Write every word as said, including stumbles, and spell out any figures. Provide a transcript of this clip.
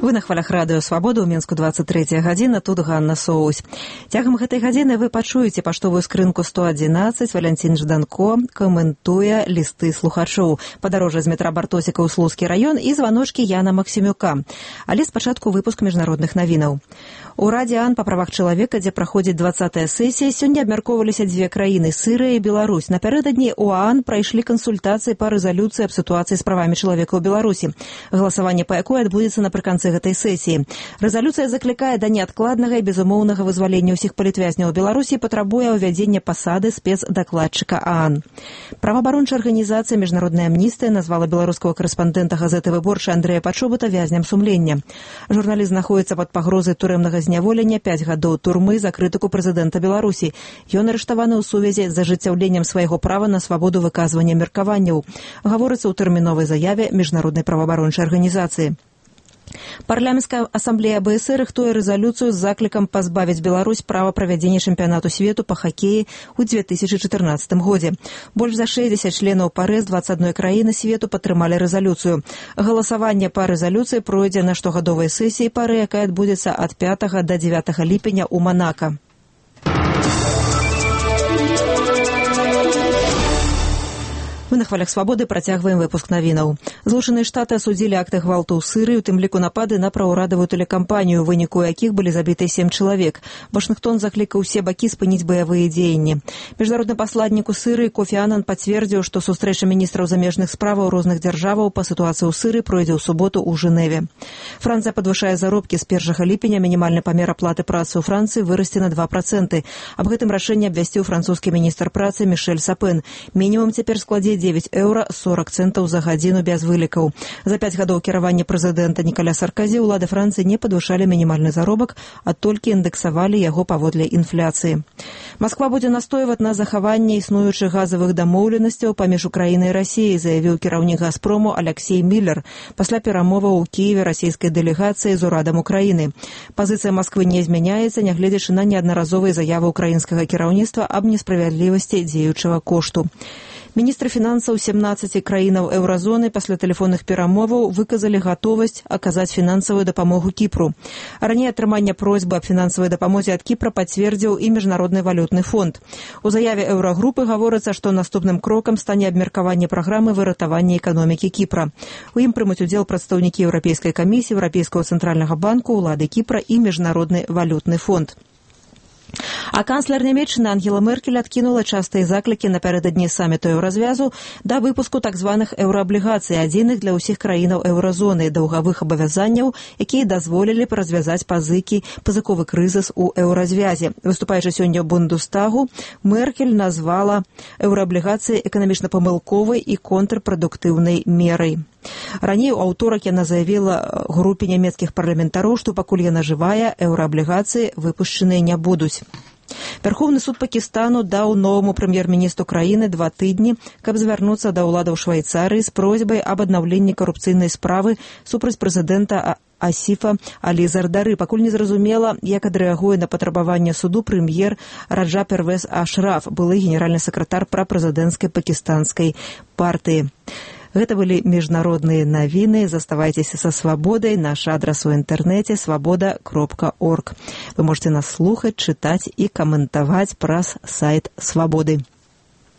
Вы на хвалях радыё «Свабода», ў Мінску двадцать третья гадзіна, тут Ганна Соусь. Цягам гэтай гадзіны вы пачуеце паштовую скрынку сто адзінаццаць, Валянцін Жданко каментуе лісты слухачоў, падарожжа з метра Бартосіка ў Слуцкі раён і званочкі Яна Максімюка. Але спачатку выпуск міжнародных навінаў. У Радзе ААН па правах чалавека, дзе праходзіць двадцатая сесія, сёння абмяркоўваліся дзве краіны – Сырыя і Беларусь. Напярэдадні ў ААН прайшлі кансультацыі па рэзалюцыі аб сітуацыі з правамі чалавека ў Беларусі. Галасаванне па якой адбудзецца напрыканцы гэтай сесіі. Рэзалюцыя заклікае да неадкладнага і безумоўнага вызвалення ўсіх палітвязняў Беларусі і патрабуе ўвядзення пасады спецдакладчыка ААН. Праваабарончая арганізацыя «Міжнародная амністыя» назвала беларускага карэспандэнта газеты «Выборча» Андрэя Пачобута вязням сумлення. Журналіст знаходзіцца пад пагрозай турэмнага зняволення, пяць гадоў турмы за крытыку прэзідэнта Беларусі. Ён арыштаваны ў сувязі з ажыццяўленнем свайго права на свабоду выказвання меркаванняў. Гаворыцца ў тэрміновай заяве міжнароднай праваабарончай арганізацыі. Парламенцкая асамблея АБС рыхтуе рэзалюцыю з заклікам пазбавіць Беларусь права правядзення чэмпіянату свету па хакеі ў две тысячы чатырнаццатым годзе. Больш за шэсцьдзесят членаў ПАРЭ з дваццаць адной краіны свету падтрымалі рэзалюцыю. Галасаванне па рэзалюцыі пройдзе на штогадовай сесіі ПАРЭ, якая адбудзецца ад пятага да дзевятага ліпеня ў Манака. Мы на хвалях «Свабоды» працягваем выпуск навінаў. Злучаныя Штаты асудзілі акты гвалту ў Сырыі, у тым ліку напады на праўрадавую тэлекампанію, у выніку якіх былі забіты сем чалавек. Вашынгтон заклікаў усе бакі спыніць баявыя дзеянні. Міжнародны пасладнік у Сырыі Кофі Анан пацвердзіў, што сустрэча міністраў замежных справаў розных дзяржаваў па сітуацыі ў Сырыі пройдзе ў суботу ў Жэневе. Францыя падвышае заробкі з першага ліпеня, мінімальны памер аплаты працы ў Францыі вырасце на два працэнты. Аб гэтым рашэнні абвясціў французскі міністр працы Мішэль Сапен. Мінімум цяпер складзе дзевяць еўра сорок цэнтаў за гадзіну без вылікаў. За пяць гадоў кіравання прэзідэнта Нікаля Сарказі ўлады Францыі не падвышалі мінімальны заробак, а толькі індэксавалі яго паводле інфляцыі. Масква будзе настойваць на захаванне існуючых газавых дамоўленасцяў паміж Украінай і Расіяй, заявіў кіраўнік «Газпрому» Аляксей Міллер пасля перамоваў у Кіеве расійскай дэлегацыі з урадам Украіны. Пазіцыя Масквы не змяняецца, нягледзячы на неаднаразовыя заявы украінскага кіраўніцтва аб несправядлівасці дзеючага кошту. Міністры фінансаў сямнаццаці краінаў еўразоны пасля тэлефонных перамоваў выказалі гатовасць аказаць фінансавую дапамогу Кіпру. Раней атрымання просьбы аб фінансавай дапамозе ад Кіпра пацвердзіў і Міжнародны валютны фонд. У заяве еўрагрупы гаворыцца, што наступным крокам стане абмеркаванне праграмы выратавання эканомікі Кіпра. У ім прымуць удзел прадстаўнікі Еўрапейскай камісіі, Еўрапейскага цэнтральнага банку, улады Кіпра і Міжнародны валютны фонд. А канцлер нямецчыны Ангела Меркель адкінула частыя заклікі напярэдадні саміту еўразвязу да выпуску так званых еўрааблігацый, адзіных для ўсіх краінаў еўразоны, даўгавых абавязанняў, якія дазволілі б развязаць пазыкі, пазыковы крызіс у еўразвязе. Выступаючы сёння ў Бундестагу, Меркель назвала еўрааблігацыі эканамічна памылковай і контрпрадуктыўнай мерай. Раней у аўторак яна заявіла групе нямецкіх парламентароў, што пакуль яна жывая, еўрааблігацыі выпушчаныя не будуць. Вярхоўны суд Пакістану даў новаму прэм'ер-міністру краіны два тыдні, каб звярнуцца да ўладаў Швайцарыі з просьбай аб аднаўленні карупцыйнай справы супраць прэзідэнта Асіфа Алі Зардары. Пакуль не зразумела, як адрэагуе на патрабаванне суду прэм'ер Раджа Первез Ашраф, былы генеральны сакратар прапрэзідэнцкай пакістанскай партыі. Гэта былі міжнародныя навіны. Заставайцеся са «Свабодай». Наш адрас у інтэрнэце свабода кропка орг. Вы можете нас слухаць, чытаць і каментаваць праз сайт «Свабоды».